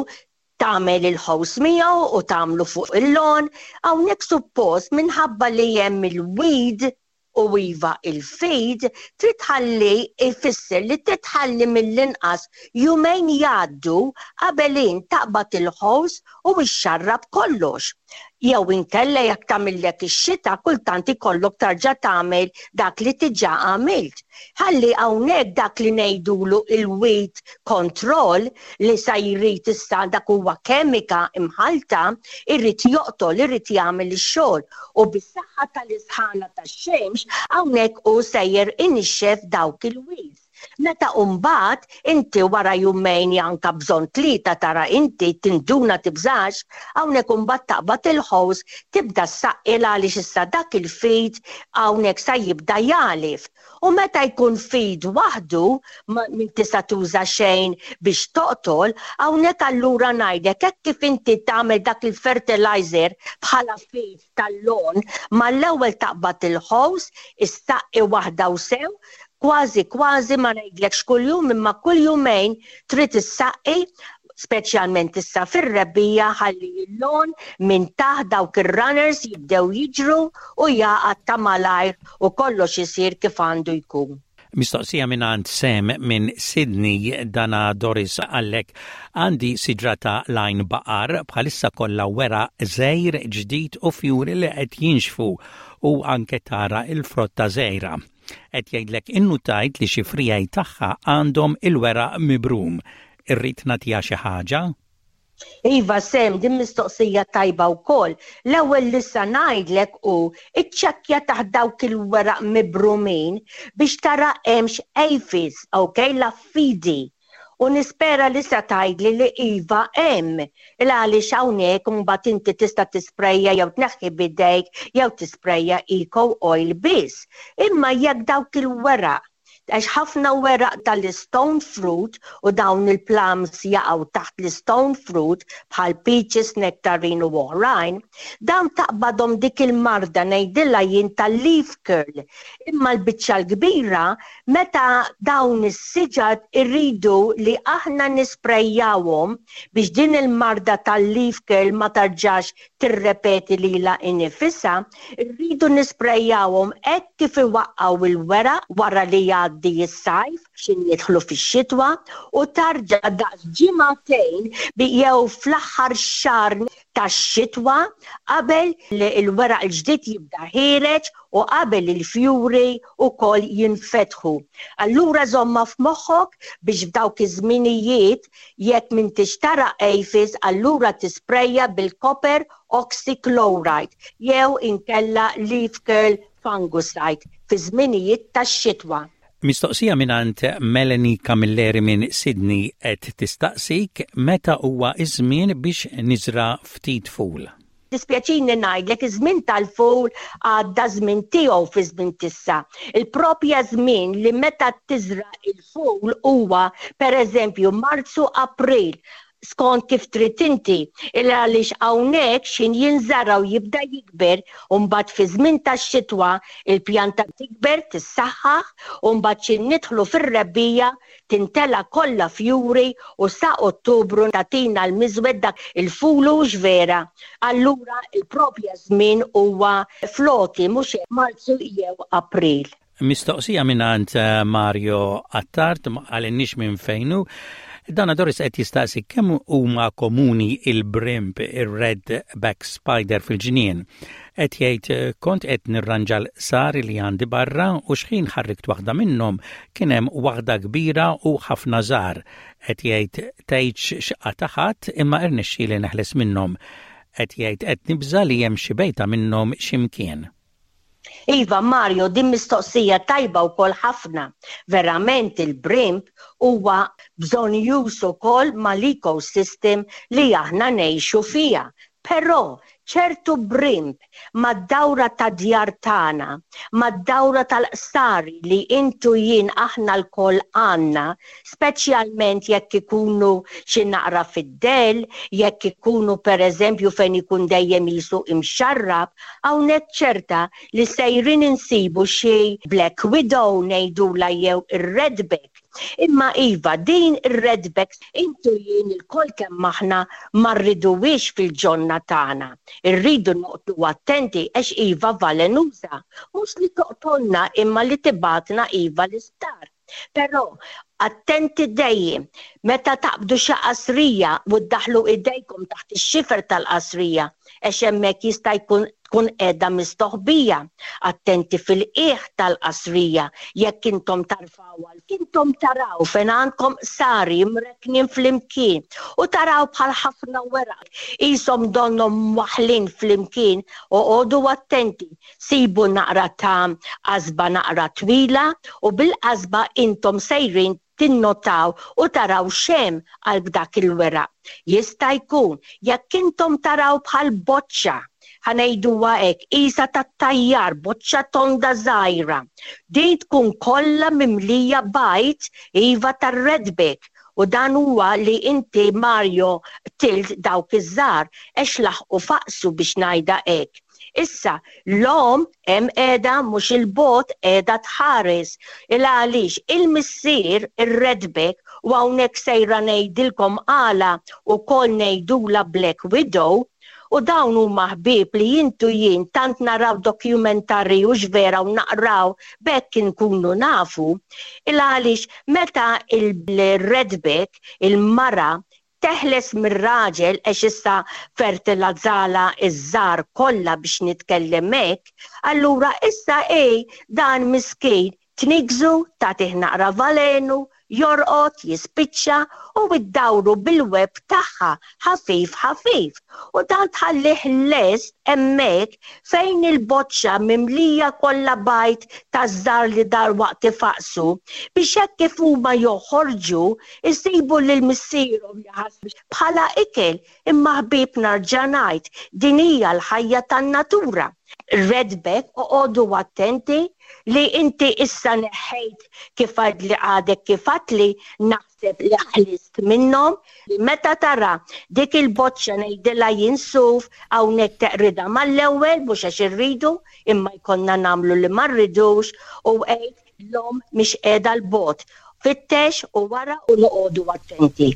tagħmel il-ħows miegħu u tagħmlu fuq il-lawn, hawnhekk suppost minħabba li hemm il-weed u iva il-feed trid tħalli jfisser li trid tħalli mill-inqas jumejn jgħaddu qabel int taqbad il-ħows u xxarrab kollox. Jew inkella jekk tagħmillek ix-xita kultant ikollok tarġa' tagħmel dak li diġà għamilt. Ħalli hawnhekk dak li ngħidulu il-weed control li sa jrid issa dak huwa kemika imħallta, irid joqtol, irid jagħmel ix-xogħol u bis-saħħa tal-isħana tax-xemx hawnhekk hu sejjer inixxef dawk il-weeds. Meta mbagħad inti wara jumejn janka bżonn tlieta tara inti tinduna tibżax, hawnhekk imbagħad taqbad il-ħows tibda ssaqqi għaliex issa dak il-feed hawnhekk sa jibda jagħlif. U meta jkun feed waħdu ma tista' tuża xejn biex toqtol, hawnhekk allura ngħidlek hekk kif inti tagħmel dak il-fertilizer bħala feed tal-lawn, mal-ewwel taqbad il-ħows, issaqqi waħda u sew, kważi kważi ma ngħidlekx kuljum imma kull jumejn trid issaqqi speċjalment issa fir-rebbiegħa ħalli l-lawn minn taħt dawk ir-runners jibdew jiġru u jagħqad ta' malajr u kollox isir kif għandu jkun. Mistoqsija mingħand Sam minn Sydney dana Doris qallek għandi siġra ta' l-għajn baqar bħalissa kollha weraq żgħir ġdid u fjuri li qed jinxfu u anke tara l-frotta żgħira. Qed jgħidlek innutajt li xi friegħi tagħha għandhom il-weraq mibrum. Irrid nagħtiha xi ħaġa? Iva Sam, din mistoqsija tajba wkoll. L-ewwel li sa ngħidlek hu iċċekkja taħt dawk il-weraq mibrumin biex tara hemmx aphids, ok, l-affidi. U nispera li sa tgħidli li iva hemm. Il għaliex hawnhekk imbagħad inti tista' tisprejja jew tneħħi b'idejk jew tisprejja eco oil biss. Imma jekk dawk il-weraq Għax ħafna weraq tal-istone fruit u dawn il-plums jaqgħu taħt l-istone fruit bħal peaches, nectarine u oħrajn, dawn taqbadhom dik il-marda ngħidilha jien tal-leaf curl. Imma l-biċċa l-kbira meta dawn is-siġar irridu li aħna nisprejjawhom biex din il-marda tal-leaf curl ma tarġax tirrepeti lilha innifisha, irridu nisprejjawhom hekk kif iwaqqgħu l-weraq wara li jgħaddi s-sajf x'in nidħlu fix-xitwa u tarġa' daqs ġimagħtejn jew fl-aħħar xahar tax-xitwa qabel il-weraq il-ġdid jibda ħiereġ u qabel il-fjuri wkoll jinfetħu. Allura żommha f'moħħok biex f'dawk iż-żminijiet jekk m'intix tara aphids allura tisprejja bil-copper oxychloride jew inkella leaf curl fungicide fi żminijiet tax-xitwa. Mistoqsija mingħand Melanie Camilleri minn Sydney qed tistaqsik meta huwa ż-żmien biex niżra' ftit ful. Dispjaċini ngħidlek iż-żmien tal-ful għadda żmien tiegħu fi żmien t'issa. Il-propja żmien li meta tiżra' il-ful huwa pereżempju Marzu April skont kif trid inti, il għaliex hawnhekk x'ħin jinżara' u jibda jikber u mbagħad fi żmien tax-xitwa il-pjanta tikber tissaħħaħ u mbagħad x'ħin nidħlu fir-rebbiegħa Tintela' kollha fjuri u sa Ottubru tagħtina l-miżwed dak il-ful hux vera? Allura l-propja żmien huwa fl-għoti mhux hekk Marzu jew April. Mistoqsija mingħand Mario Attard, ma qalilniex minn fejn hu. Dana Doris qed jistaqsi kemm huma komuni il-brimb, ir-red back spider fil-ġnien. Qed jgħid kont qed nirranġa l-qsari li għandi barra u xħin ħarrikt waħda minnhom kien hemm waħda kbira u ħafna żgħar. Qed jgħid tgħidx x'qata' ħadd imma irnexxieli neħles minnhom. Qed jgħid qed nibża' li hemm xi bejta minnhom xi mkien. Iva Mario, din mistoqsija tajba wkoll ħafna. Verament il-brimb huwa bżonnjuż ukoll mal-ecosystem li aħna ngħixu fiha. Però, ċertu brimb mad-dawra tad-djar tagħna, mad-dawra tal-qsari li int u jien aħna lkoll għandna, speċjalment jekk ikunu xi naqra fid-dell, jekk ikunu pereżempju fejn ikun dejjem qisu imxarrab, hawnhekk ċerta li sejrin insibu xi black widow ngħidulha jew ir-redback. Imma iva, din ir-redbacks int u jien ilkoll kemm aħna ma rriduhiex fil-ġonna tagħna. Irridu noqgħdu attenti għax iva valenuża. Mhux li toqtolna imma li tibgħatna iva l-isptar. Però attenti dejjem meta taqbdu xi qasrija u ddaħħlu idejkom taħt ix-xifer tal-qasrija għax hemmhekk jista' jkun tkun qiegħda mistoħbija. Attenti fil-qiegħ tal-qasrija jekk intom tarfgħuha 'l Intom taraw fejn għandkom qsari mrekknin flimkien u taraw bħal ħafna weraq qishom donnhom mwaħħlin flimkien, oqogħdu attenti, sibu naqra ta' qasba naqra twila u bil-qasba intom sejrin tinnotaw u taraw x'hemm qalb dak il-weraq. Jista' jkun, jekk intom taraw bħal boċċa, ħa ngħiduha hekk, qisha tat-tajjar, boċċa tonda żgħira, din tkun kollha mimlija bajd, iva tar-redback, u dan huwa li inti Mario qtilt dawk iż-żgħar għex laħqu faqsu biex ngħidha hekk. Issa, l-omm hemm qiegħda mhux 'il bogħod qiegħda tħares. Il għaliex il-missier, ir-redback, u hawnhekk sejra ngħidilkom għala wkoll ngħidulha Black Widow, u dawn huma ħbieb li int u jien tant naraw documentary hux vera u naqraw b'hekk inkunu nafu, il għaliex meta il-redback, il-mara, teħles mir-raġel għax issa fertilazzalha ż-żgħar kollha biex nitkellem hekk, allura issa hi dan miskin tniggżu, tagħtih naqra valenu, jorqod, jispiċċa u ddawru bil-web tagħha ħafif ħafif u dan tħallih lest hemmhekk fejn il-boċċa mimlija kollha bajd taż-żgħar li dalwaqt ifaqqsu biex hekk kif huma joħorġu Isibu lil missierhom jaħasbu bħala ikel, imma ħbieb narġa' ngħid, din hija l-ħajja tan-natura. Redback, oqogħdu attenti li inti issa neħħejt kif għidli għadek kif għadtli, naħseb li ħlist minnhom, li meta tara dik il-boċċa ngħidilha jien suf, hawnhekk teqridha mal-ewwel mhux għax irridu, imma jkollna nagħmlu li ma rridux u għid L-omm mhix qiegħda 'l bogħod. Fittex u wara u noqogħdu attenti.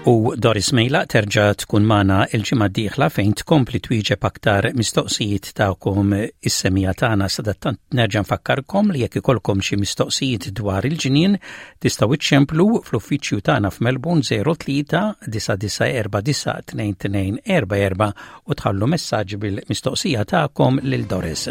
U Doris Mejla terġa' tkun magħna l-ġimgħa d-dieħla fejn tkompli twieġeb aktar mistoqsijiet tagħkom is-semija tagħna sadattant nerġa' nfakkarkom li jekk ikollkom xi mistoqsijiet dwar il-ġnien tistgħu iċċemplu fl-uffiċċju tagħna f'Melbourne 03 9949 2244 u tħallu messaġġ bil-mistoqsija tagħkom lil Doris.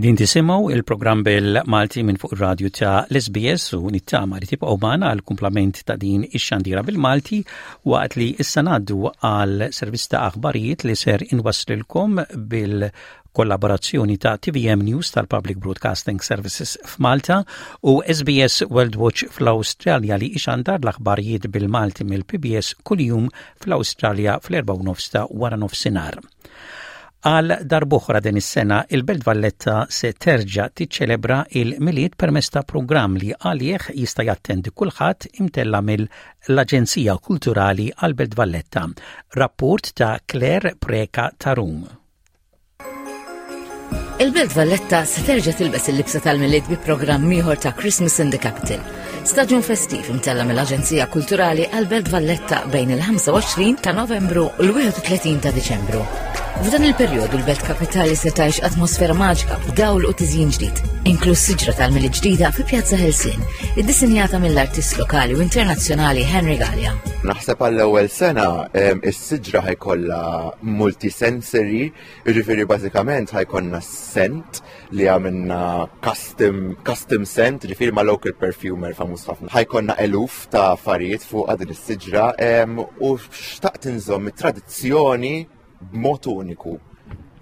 Din tisimgħu il-programm bil-Malti minn fuq ir-radju ta' l-SBS u nittama li tibqgħu magħna għal kumplament ta' din ix-xandira bil-Malti waqt li issa ngħaddu għal servizz ta' aħbarijiet li ser inwasslilkom bil-kollaborazzjoni ta' TVM News tal-Public Broadcasting Services f'Malta u SBS World Watch fl-Awstralja li ixandar l-aħbarijiet bil-Malti mill-PBS kuljum fl-Awstralja fl-4 ta' wara nofsinhar. Għal darb'oħra din is-sena, il-Belt Valletta se terġa' tiċċelebra il-Milied permezz ta' programm li għalih jista' jattendi kulħadd imtella' mill-Aġenzija Kulturali għall-Belt Valletta. Rapport ta' Claire Preca Tarum. Il-Belt Valletta se terġa' tilbes il-libsa tal-Milied bi programm ieħor ta' Christmas in the Capital. Staġun festiv imtella mill-Aġenzija Kulturali għall-Belt Valletta bejn il-25 ta' Novembru u l-31 ta' Diċembru. F'dan il-perjodu l-Belt Kapitali se tgħix atmosfera maġika b'dawl u tiżjin ġdid. Inkluż siġra tal-Milied ġdida fi Pjazza Ħelsien, iddisinjata mill-artist lokali u internazzjonali Henry Gallia. Naħseb għall-ewwel sena is-siġra ħajkollha multisensory, jiġifieri bażikament ħajkollna scent li għamilna custom, custom scent, ġifieri ma' local perfumer famuż ħafna. Ħajkollna eluf ta' affarijiet fuq din is-siġra u xtaqt inżomm it-tradizzjoni b'mod uniku.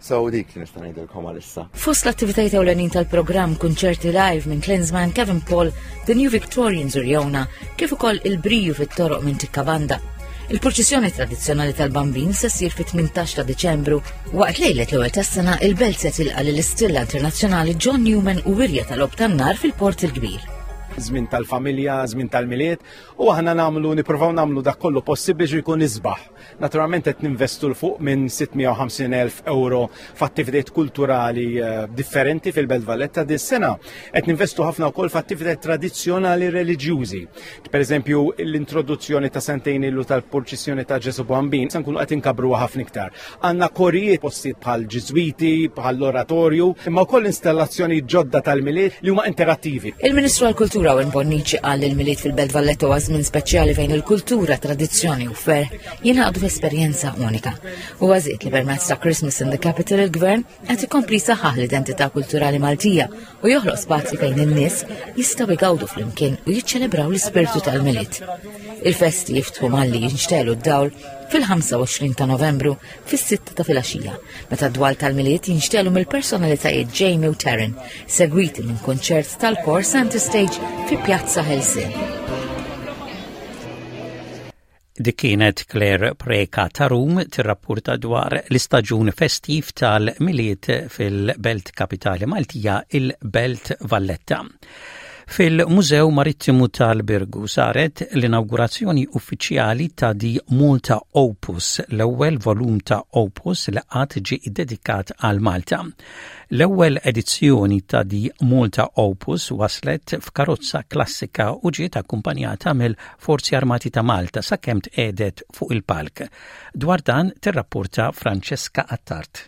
So dik li nista' ngħidilkom għalissa. Fost l-attivitajiet ewlenin tal-programm kunċerti live minn Klinsmann, Kevin Paul, The New Victorians u Riona, kif ukoll il-briju fit-toroq minn Tikka Banda. Il-purċissjoni tradizzjonali tal-Bambin se ssir fit-18 ta' Diċembru waqt lejlet l-ewwel tas-sena il-belt se tilqa' lill-istilla internazzjonali John Newman u wirja tal-ob tan-nar fil-Port il-Kbir. Żmien tal-familja, żmien tal-milied, u aħna nagħmlu nippruvaw nagħmlu dak kollu possibbli biex jkun isbaħ. Naturalment qed ninvestu l fuq minn 650,000 euro f'attivitajiet kulturali eh, differenti fil-Belt Valletta din sena qed ninvestu ħafna wkoll f'attivitajiet tradizzjonali reliġjużi. Per eżempju, l-introduzzjoni ta' sentejn ilu tal-purċissjoni ta' Ġesu Bambin se nkunu qed inkabruha ħafna iktar. Għandna korijiet postijiet bħal Ġiżwiti, bħal l-oratorju, imma wkoll installazzjoni ġodda tal-Milied li huma interattivi. Il-Ministru għall-Kultura Owen Bonnici qal li l-Milied fil-Belt Valletta huwa żmien speċjali fejn il-kultura, tradizzjoni u ferħ jingħaqdu f'esperjenza unika. Huwa żied li permezz ta' Christmas in the Capital il-Gvern qed ikompli jsaħħaħ l-identità kulturali Maltija u joħloq spazji fejn in-nies jistgħu jgawdu flimkien u jiċċelebraw l-ispirtu tal-Milied. Il-festi jiftħu malli jinxtelu d-dawl fil-25 ta' Novembru fis-sitta ta' filgħaxija, meta d-dwal tal-Milied jinxtelu mill-personalitajiet Jamie u Taryn, segwiti minn kunċert tal-kor Center Stage fi Pjazza Ħelsien. Dik kienet Claire Preca ta' Rum tirrappurta dwar l-istaġun festiv tal-Milied fil-Belt Kapitali Maltija, il-Belt Valletta. Fil-Mużew Marittimu tal-Birgu saret l-inawgurazzjoni uffiċjali ta' The Malta Opus, l-ewwel volum ta' Opus li qatt ġie ddedikat għal Malta. L-ewwel edizzjoni ta' The Malta Opus waslet f'karozza klassika u ġiet akkumpanjata mill-Forzi Armati ta' Malta sakemm tqiegħdet fuq il-palk. Dwar dan tirrapporta Francesca Attard.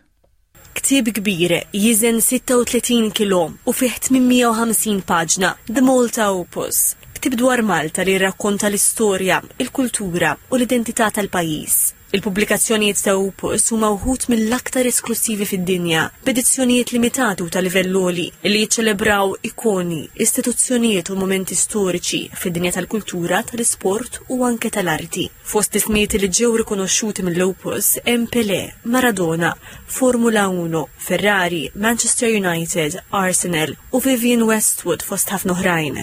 Ktieb kbir, jiżen 36 kilo u fih 850 paġna, The Malta Opus. Ktieb dwar Malta li jirrakkonta l-istorja, il-kultura u l-identità tal-pajjiż. Il-pubblikazzjonijiet ta' Opus huma wħud mill-aktar esklussivi fid-dinja, b'edizzjonijiet limitati u ta' livell għoli li jiċċelebraw ikoni, istituzzjonijiet u mumenti storiċi fid-dinja tal-kultura, tal-isport u anke tal-arti. Fost ismijiet li ġew rikonoxxuti mill-Opus hemm Pelé, Maradona, Formula Uno, Ferrari, Manchester United, Arsenal u Vivienne Westwood fost ħafna oħrajn.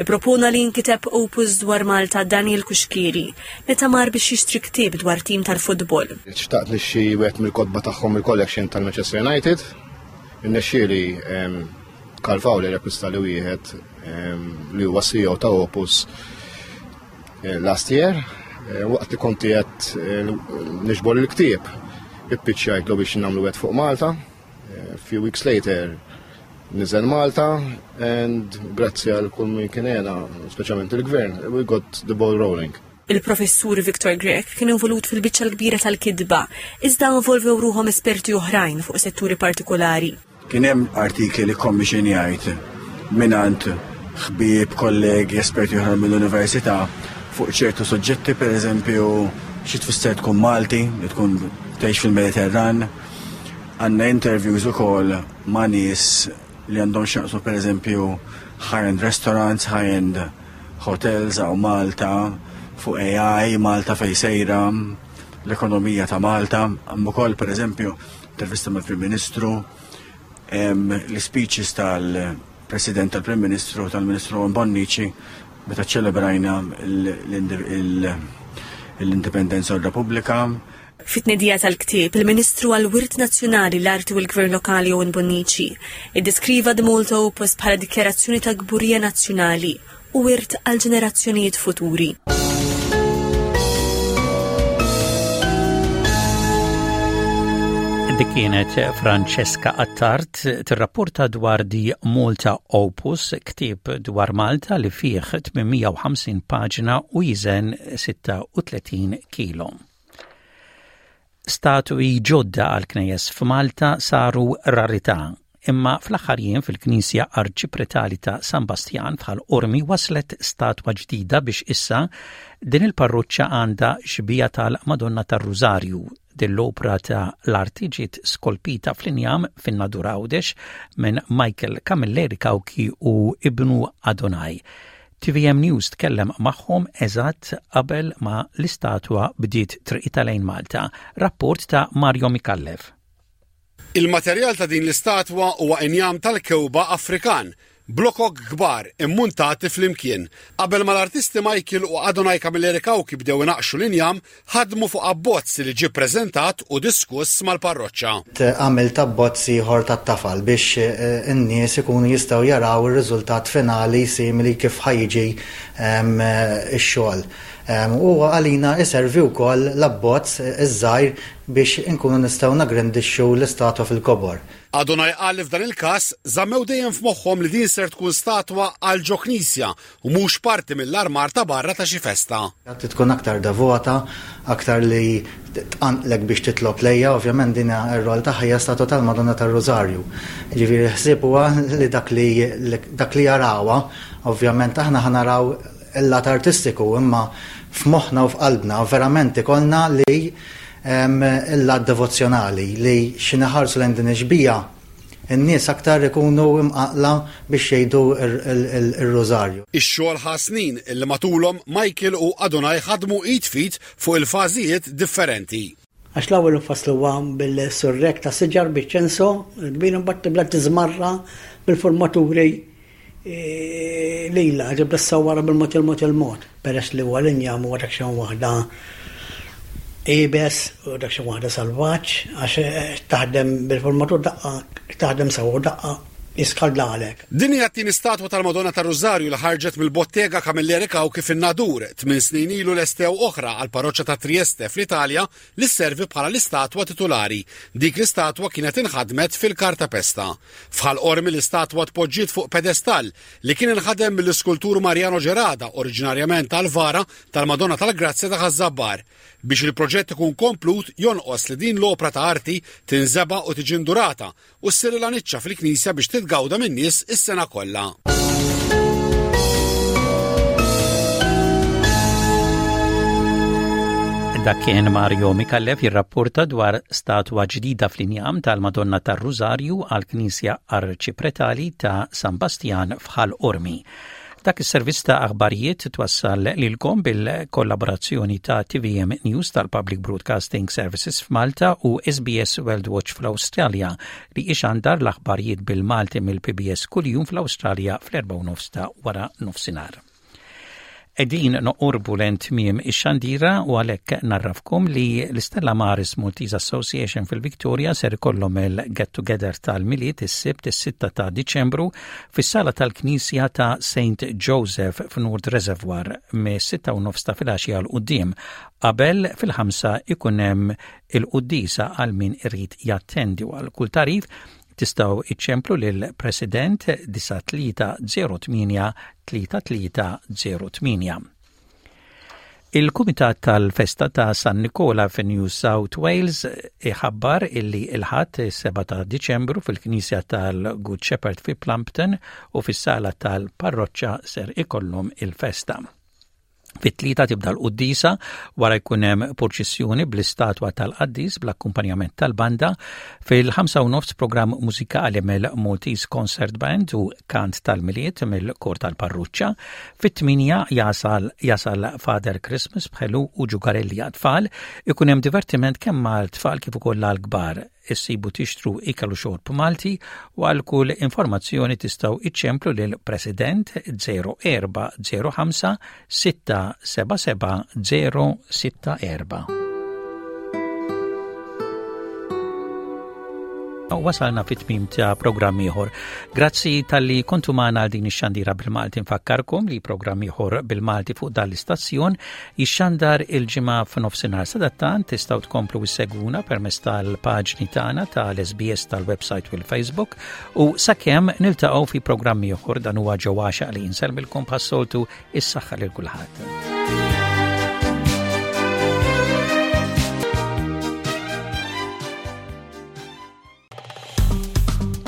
Ippropona li jinkiteb opus dwar Malta Daniel Cuschieri meta mar biex jixtri ktieb dwar tim tal-futbol. Xtaqt nixxi wieħed mill-kotba tagħhom il-collection tal-Manchester United. Irnexxieli Karl Fowler jakkwista li wieħed li huwa CEO ta' Opus Eh, last year, eh, waqt li konti qed eh, niġbor il-ktieb, ippiċċajtlu biex nagħmlu wieħed fuq Malta. Few weeks later, niżel Malta and grazzi għal kull min kien għena, speċjalment il-gvern, we got the ball rolling. Il-professur Victor Grech kien involut fil-biċċa l-kbira tal-kitba, iżda involvew ruħhom esperti oħrajn fuq setturi partikolari. Kien hemm artikli li kkommixinjajt mingħand ħbieb, kollegi, esperti oħra mill-università fuq ċertu suġġetti, pereżempju xi tfisser tkun Malti, li tkun tgħix fil-Mediterran. Għandna interviews ukoll ma' nies li għandhom x'jaqsmu pereżempju high-end restaurants, high-end hotels hawn Malta, fuq AI, Malta fejn sejra, l-ekonomija ta' Malta. Hemm ukoll pereżempju intervista mal-Prim Ministru, l-speeches tal-President tal-Prim Ministru tal-Ministru Bonnici meta ċelebrajna l-Indipendenza u r-Repubblika. Fit-tnedija tal-ktieb, il-Ministru għall-Wirt Nazzjonali, l-Arti u l-Gvern Lokali Owen Bonnici iddeskriva The Malta Opus bħala dikjarazzjoni ta' kburija nazzjonali u wirt għal ġenerazzjonijiet futuri. Dik kienet Francesca Attard tirrapporta dwar di Malta Opus, ktieb dwar Malta li fih 850 paġna u jiżen 36 kilo. Statwi ġodda għal knejjes f'Malta saru rarità. Imma fl-aħħar jiem fil-Knisja Arċipretali ta' San Bastjan f'Ħal Qormi waslet statwa ġdida biex issa din il-parroċċa għandha xbieha tal-Madonna tar-Rużarju. Din l-opra ta' l-arti ġiet skolpita fl-injam fin-Nadur Għawdex minn Michael Camilleri Cauchi u ibnu Adonai. Tvm News tkellem magħhom eżatt qabel ma l-istatwa bdiet triqitha lejn Malta. Rapport ta' Mario Micallef. Il-materjal ta' din l-istatwa huwa injam tal-kewba Afrikan, blokok kbar immuntati flimkien. Qabel ma l-artisti Michael u Adonai Camilleri Cauchi bdew inaqqxu l-injam, ħadmu fuq abbozz li ġie ppreżentat u diskuss mal-parroċċa. Għamilt abbozz ieħor tat-tafal biex in-nies ikunu jistgħu jaraw ir-riżultat finali simili kif ħa jiġi x-xogħol. U għalina iservi wkoll l-abbozz iż-żgħir biex inkunu nistgħu nagrandixxu l-istatwa fil-kobor. Adonai qal li f'dan il-każ żammew dejjem f'moħħhom li din ser tkun statwa għal ġo knisja u mhux parti mill-armar ta' barra ta' xi festa. Trid tkun aktar devota, aktar li tqanqlek biex titlob lejha, ovvjament din ir-rol tagħha hija statwa tal-Madonna tar-Rużarju. Jiġifieri l-ħsieb huwa li dak li dak li jarawha, ovvjament aħna ħa naraw il-lat artistiku imma f'moħħna u f'qalbna verament ikollna li il-lat devozzjonali li xi naħarsu lejn din ix-xbieha n-nies aktar ikunu imqanqla biex jgħidu r-rużarju. Ix-xogħol ħa snin li matulhom Michael u Adonai ħadmu id f'id fuq il-fażijiet differenti. Għax l-ewwel infassluha bil-surrek ta' siġar biċ-ċenso l-kbir imbagħad tibda tiżmarra bil-formaturi lilha, tibda ssawwarha bil-mod il-mod il-mod. Peress li huwa l-injam huwa daqsxejn waħda iebes u daqsxejn waħda salvaġġ għax taħdem bil-formatur daqqa taħdem sewwa u daqqa jiskaldalek. Din hija t-tieni statwa tal-Madonna tar-Rużarju li ħarġet mill-bottega Camilleri Cauchi fin-Nadur. Tminn snin ilu lestew oħra għall-parroċċa ta' Trieste fl-Italja li sservi bħala l-istatwa titulari. Dik l-istatwa kienet inħadmet fil-kartapesta. F'Ħal Qormi l-istatwa tpoġġiet fuq pedestall li kien inħadem mill-iskultur Mariano Gerada oriġinarjament għall-vara tal-Madonna tal-Grazzja ta' Ħaż-Żabbar. Biex il-proġett ikun komplut jonqos li din l-opra ta' arti tinżeba' u tiġi ndurata u ssirilha niċċa fil-knisja biex titgawda min-nies is-sena kollha. Dak kien Mario Micallef jirrapporta dwar statwa ġdida fl-injam tal-Madonna tar-Rużarju għall-Knisja Arċipretali ta' San Bastjan f'Ħal Qormi. Dak is-servizz ta' aħbarijiet twassal lilkom bil-kollaborazzjoni ta' TVM News tal-Public Broadcasting Services f'Malta u SBS World Watch fl-Awstralja li ixandar l-aħbarijiet bil-Malti mill-PBS kuljum fl-Awstralja fl-4 ta' wara nofsinhar. Qegħdin noqorbu lejn tmiem ix-xandira u għalhekk narrafkom li l-Istella Maris Maltese Association fil-Victoria ser ikollhom il-Get Together tal-Milied is-Sibt is-6 ta' Diċembru fis-sala tal-Knisja ta' St. Joseph f'Nord Reservoir mis-6 u nofs ta' filgħaxija 'l quddiem. Qabel fil-ħamsa ikun hemm il-quddiesa għal min irid jattendi u għal kull tagħrif Tistgħu iċċemplu lill-President 9308 3308. Il-Kumitat tal-Festa ta' San Nikola fi New South Wales iħabbar illi il-Ħadd 7 ta' Diċembru fil-Knisja tal-Good Shepherd fi Plumpton u fis-sala tal-parroċċa ser ikollhom il-festa. Fit-tlieta tibda l-quddiesa, wara jkun hemm purċissjoni bl-istatwa tal-qaddis bl-akkumpanjament tal-banda. Fil-ħamsa u nofs programm mużikali mill-Maltese Concert Band u kant tal-Milied mill-Kor tal-Parruċċa. Fit-tmienja jasal jasal Father Christmas b'ħelu u ġugarelli għat-tfal. Ikun hemm divertiment kemm għal-tfal kif ukoll għall-kbar. Issibu tixtru ikel u xorb Malti u għal kull informazzjoni tistgħu iċċemplu lil President 0405 677 064. Wasalna fit-tmim ta' programm ieħor. Grazzi talli kontu magħna għal din ix-xandira bil-Malti nfakkarkom li programm ieħor bil-Malti fuq dan l-istazzjon Jixxandar il-Ġimgħa f'nofsinhar. Sadattant tistgħu tkomplu issegwuna permezz tal-paġni tagħna tal-SBS tal-website u l-Facebook u sakemm niltaqgħu fi programmi oħor dan huwa ġewwa li insellmilkom bħas-soltu is-saħħa lil kulħadd.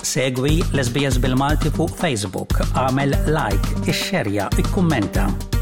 Segwi l-SBS bil-Malti fuq Facebook, għamel like, ixxerja, ikkummenta.